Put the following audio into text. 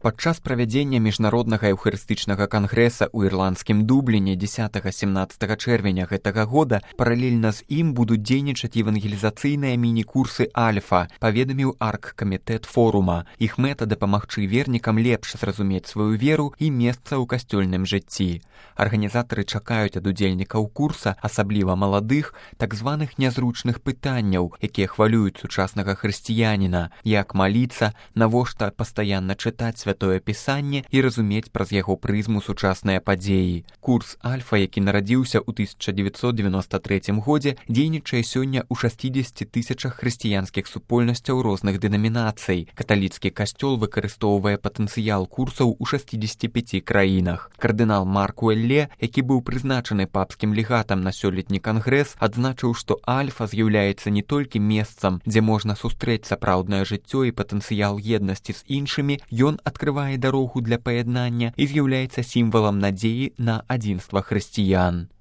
Падчас правядзення міжнароднага эўхарыстычнага кангрэса ў ірландскім Дубліне 10-17 чэрвеня гэтага года паралельна з ім будуць дзейнічаць евангелізацыйныя міні-курсы Альфа, паведаміў аргкамітэт форума. Іх мэта дапамагчы вернікам лепш зразумець сваю веру і месца ў касцёльным жыцці. Арганізатары чакаюць ад удзельнікаў курса, асабліва маладых, так званых нязручных пытанняў, якія хвалююць сучаснага хрысціяніна, як маліцца, навошта пастаянна чытаць святое пісанне і разумець праз яго прызму сучасныя падзеі. Курс Альфа, які нарадзіўся ў 1993 годзе, дзейнічае сёння ў 60 тысячах хрысціянскіх супольнасцяў розных дэнамінацый. Каталіцкі касцёл выкарыстоўвае патэнцыял курсаў у 65 краінах. Кардынал Марк Уэлле, які быў прызначаны папскім легатам на сёлетні кангрэс, адзначыў, што Альфа з'яўляецца не толькі месцам, дзе можна сустрэць сапраўднае жыццё і патэнцыял еднасці з іншымі, ён адкрывае дарогу для паяднання і з'яўляецца сімвалам надзеі на адзінства хрысціян.